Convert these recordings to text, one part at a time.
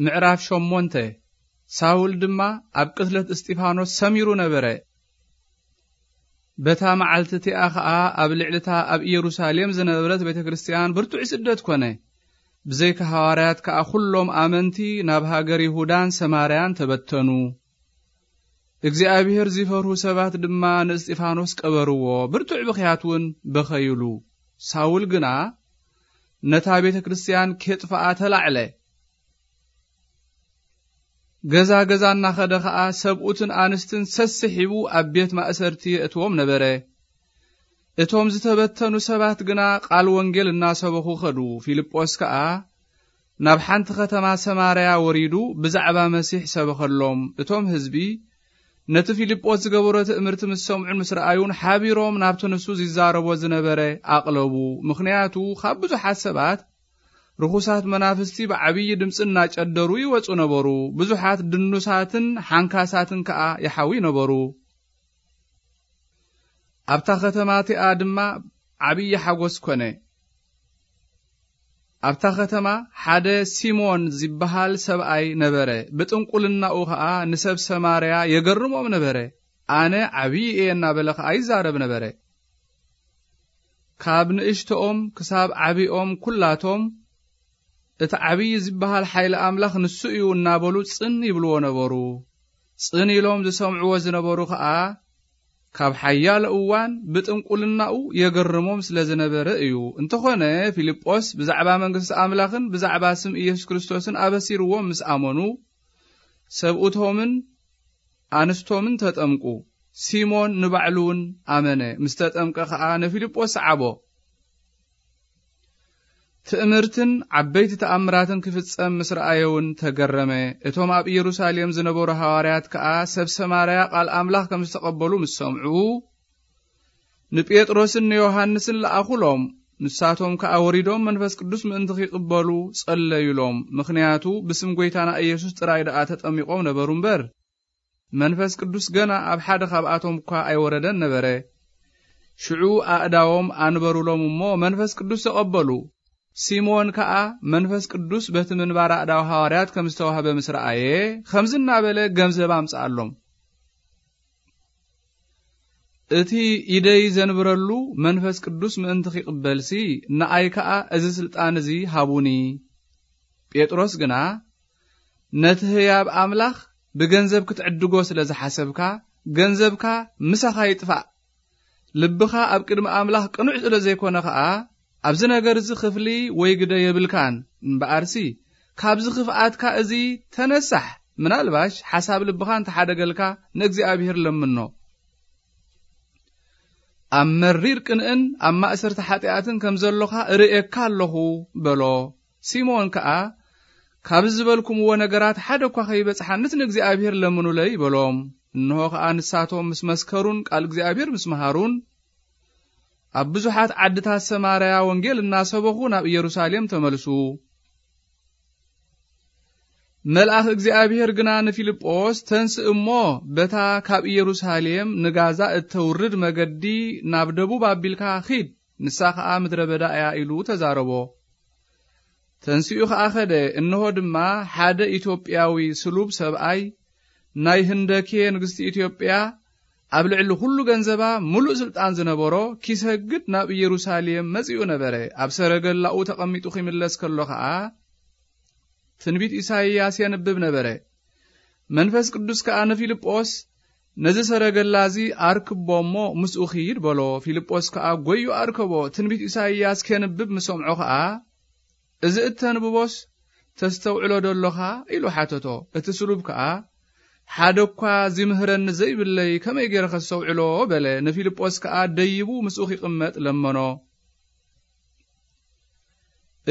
ምዕራፍ ሸሞንተ። ሳውል ድማ ኣብ ቅትለት እስጢፋኖስ ሰሚሩ ነበረ። በታ መዓልቲ እቲኣ ኸኣ ኣብ ልዕሊ እታ ኣብ ኢየሩሳሌም ዝነበረት ቤተ ክርስቲያን ብርቱዕ ስደት ኮነ። ብዘይካ ሃዋርያት ከኣ ኩሎም ኣመንቲ ናብ ሃገር ይሁዳን ሰማርያን ተበተኑ። እግዚኣብሔር ዝፈርሁ ሰባት ድማ ንእስጢፋኖስ ቀበርዎ፣ ብርቱዕ ብኽያት እውን በኸይሉ። ሳውል ግና ነታ ቤተ ክርስቲያን ኬጥፍኣ ተላዕለ። ገዛ ገዛ እናኸደ ኸኣ ሰብኡትን ኣንስትን ሰስሒቡ ኣብ ቤት ማእሰርቲ የእትዎም ነበረ። እቶም ዝተበተኑ ሰባት ግና ቃል ወንጌል እናሰበኹ ኸዱ። ፊልጶስ ከኣ ናብ ሓንቲ ኸተማ ሰማርያ ወሪዱ ብዛዕባ መሲሕ ሰበኸሎም። እቶም ህዝቢ ነቲ ፊልጶስ ዝገበሮ ትእምርቲ ምስ ሰምዑን ምስ ረኣዩን ሓቢሮም ናብቲ ንሱ ዝዛረቦ ዝነበረ ኣቕለቡ። ምኽንያቱ ካብ ብዙሓት ሰባት ርኹሳት መናፍስቲ ብዓብዪ ድምፂ እናጨደሩ ይወፁ ነበሩ። ብዙሓት ድኑሳትን ሓንካሳትን ከኣ ይሓዊ ነበሩ። ኣብታ ኸተማ እቲኣ ድማ ዓብዪ ሓጎስ ኮነ። ኣብታ ኸተማ ሓደ ሲሞን ዝበሃል ሰብኣይ ነበረ። ብጥንቁልናኡ ኸኣ ንሰብ ሰማርያ የገርሞም ነበረ። ኣነ ዓብዪ እየ እናበለ ኸኣ ይዛረብ ነበረ። ካብ ንእሽቶኦም ክሳብ ዓብኦም ኩላቶም እቲ ዓብዪ ዝበሃል ሓይሊ ኣምላኽ ንሱ እዩ እናበሉ ጽን ይብልዎ ነበሩ። ጽን ኢሎም ዝሰምዕዎ ዝነበሩ ኸኣ ካብ ሓያሎ እዋን ብጥንቁልናኡ የገርሞም ስለ ዝነበረ እዩ። እንተኾነ ፊልጶስ ብዛዕባ መንግስቲ ኣምላኽን ብዛዕባ ስም ኢየሱስ ክርስቶስን ኣበሲርዎም ምስ ኣመኑ ሰብኡቶምን ኣንስቶምን ተጠምቁ። ሲሞን ንባዕሉ እውን ኣመነ። ምስ ተጠምቀ ኸኣ ንፊልጶስ ሰዓቦ። ትእምርትን ዓበይቲ ተኣምራትን ክፍጸም ምስ ረኣየ እውን ተገረመ። እቶም ኣብ ኢየሩሳሌም ዝነበሩ ሃዋርያት ከኣ ሰብ ሰማርያ ቃል ኣምላኽ ከም ዝተቐበሉ ምስ ሰምዑ፣ ንጴጥሮስን ንዮሃንስን ለኣኹሎም። ንሳቶም ከኣ ወሪዶም መንፈስ ቅዱስ ምእንቲ ኺቕበሉ ጸለዩሎም። ምኽንያቱ ብስም ጐይታና ኢየሱስ ጥራይ ደኣ ተጠሚቖም ነበሩ እምበር፣ መንፈስ ቅዱስ ገና ኣብ ሓደ ኻብኣቶም እኳ ኣይወረደን ነበረ። ሽዑ ኣእዳዎም ኣንበሩሎም እሞ መንፈስ ቅዱስ ተቐበሉ። ሲሞን ከኣ መንፈስ ቅዱስ በቲ ምንባር ኣእዳው ሃዋርያት ከም ዝተዋህበ ምስ ረኣየ፣ ከምዚ እናበለ ገንዘብ ኣምጽኣሎም። እቲ ኢደይ ዘንብረሉ መንፈስ ቅዱስ ምእንቲ ኺቕበልሲ፣ ንኣይ ከኣ እዚ ስልጣን እዚ ሃቡኒ። ጴጥሮስ ግና፣ ነቲ ህያብ ኣምላኽ ብገንዘብ ክትዕድጎ ስለ ዝሓሰብካ፣ ገንዘብካ ምሳኻ ይጥፋእ። ልብኻ ኣብ ቅድሚ ኣምላኽ ቅኑዕ ስለ ዘይኮነ ኸኣ፣ ኣብዚ ነገር እዚ ክፍሊ ወይ ግደ የብልካን። እምበኣርሲ፣ ካብዚ ክፍኣትካ እዚ ተነሳሕ። ምናልባሽ ሓሳብ ልብኻ እንተሓደገልካ፣ ንእግዚኣብሔር ለምኖ። ኣብ መሪር ቅንእን ኣብ ማእሰርቲ ሓጢኣትን ከም ዘሎኻ እርእየካ ኣለኹ በሎ። ሲሞን ከኣ፣ ካብ ዝበልኩምዎ ነገራት ሓደ እኳ ከይበጽሓንስ ንእግዚኣብሔር ለምኑለይ በሎም። እንሆ ከኣ ንሳቶም ምስ መስከሩን ቃል እግዚኣብሔር ምስ መሃሩን፣ ኣብ ብዙሓት ዓድታት ሰማርያ ወንጌል እናሰበኹ ናብ ኢየሩሳሌም ተመልሱ። መልኣኽ እግዚኣብሔር ግና ንፊልጶስ፣ "ተንስእ እሞ በታ ካብ ኢየሩሳሌም ንጋዛ እተውርድ መገዲ ናብ ደቡብ ኣቢልካ ኺድ፣ ንሳ ኸኣ ምድረ በዳ እያ" ኢሉ ተዛረቦ። ተንሲኡ ኸኣ ኸደ። እንሆ ድማ ሓደ ኢትዮጵያዊ ስሉብ ሰብኣይ፣ ናይ ህንደኬ ንግስቲ ኢትዮጵያ፣ ኣብ ልዕሊ ኹሉ ገንዘባ ምሉእ ስልጣን ዝነበሮ፣ ኪሰግድ ናብ ኢየሩሳሌም መጺኡ ነበረ። ኣብ ሰረገላኡ ተቐሚጡ ኺምለስ ከሎ ኸኣ፣ ትንቢት ኢሳይያስ የንብብ ነበረ። መንፈስ ቅዱስ ከኣ ንፊልጶስ፣ "ነዚ ሰረገላ እዚ ኣርክቦ እሞ ምስኡ ኺድ" በሎ። ፊልጶስ ከኣ ጐዩ ኣርከቦ። ትንቢት ኢሳይያስ ኬንብብ ምስ ሰምዖ ኸኣ፣ "እዚ እተንብቦስ ተስተውዕሎ ዶ ኣሎኻ?" ኢሉ ሓተቶ። እቲ ስሉብ ከኣ፣ "ሓደ እኳ ዚምህረኒ ዘይብለይ ከመይ ገይረ ኸስተውዕሎ?" በለ። ንፊልጶስ ከኣ ደይቡ ምስኡ ኺቕመጥ ለመኖ።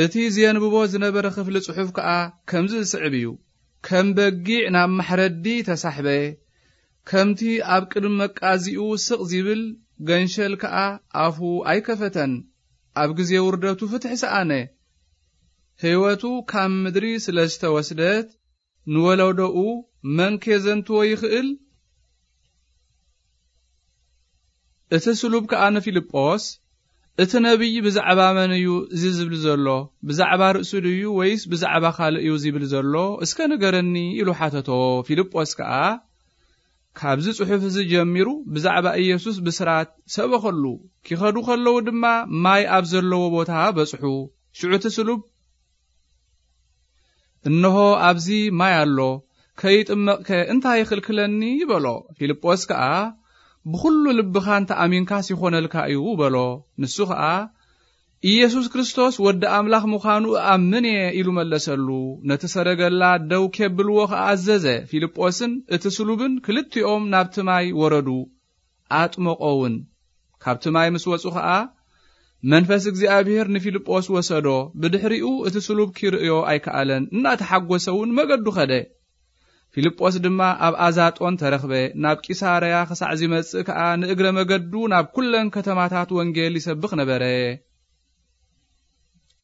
እቲ ዜንብቦ ዝነበረ ኽፍሊ ጽሑፍ ከኣ ከምዚ ዝስዕብ እዩ። ከም በጊዕ ናብ ማሕረዲ ተሳሕበ፣ ከምቲ ኣብ ቅድሚ መቃዚኡ ስቕ ዚብል ገንሸል ከኣ ኣፉ ኣይከፈተን። ኣብ ግዜ ውርደቱ ፍትሒ ሰኣነ። ህይወቱ ካብ ምድሪ ስለ ዝተወስደት፣ ንወለዶኡ መን ኬዘንትዎ ይኽእል? እቲ ስሉብ ከኣ ንፊልጶስ፣ "እቲ ነቢይ ብዛዕባ መን እዩ እዚ ዝብል ዘሎ? ብዛዕባ ርእሱ ድዩ ወይስ ብዛዕባ ካልእ እዩ ዝብል ዘሎ? እስከ ንገረኒ" ኢሉ ሓተቶ። ፊልጶስ ከኣ፣ "ካብዚ ጽሑፍ እዚ ጀሚሩ ብዛዕባ ኢየሱስ ብስራት ሰበኸሉ። ኪኸዱ ከለዉ ድማ ማይ ኣብ ዘለዎ ቦታ በጽሑ። ሽዑ እቲ ስሉብ፣ 'እንሆ ኣብዚ ማይ ኣሎ፣ ከይጥመቕከ እንታይ ይኽልክለኒ?' በሎ። ፊልጶስ ከኣ፣ 'ብኹሉ ልብኻ እንተ ኣሚንካስ ይኾነልካ እዩ' በሎ። ንሱ ኸኣ፣ 'ኢየሱስ ክርስቶስ ወዲ ኣምላኽ ምዃኑ እኣምን እየ' ኢሉ መለሰሉ። ነቲ ሰረገላ ደው ኬብልዎ ኸኣ ኣዘዘ። ፊልጶስን እቲ ስሉብን ክልቲኦም ናብቲ ማይ ወረዱ፣ ኣጥመቖውን። ካብቲ ማይ ምስ ወጹ ኸኣ፣ መንፈስ እግዚኣብሔር ንፊልጶስ ወሰዶ። ብድሕሪኡ እቲ ስሉብ ኪርእዮ ኣይከኣለን። እናተሓጎሰ እውን መገዱ ኸደ። ፊልጶስ ድማ ኣብ ኣዛጦን ተረኽበ። ናብ ቂሳርያ ክሳዕ ዚመጽእ ከኣ ንእግረ መገዱ ናብ ኩለን ከተማታት ወንጌል ይሰብኽ ነበረ።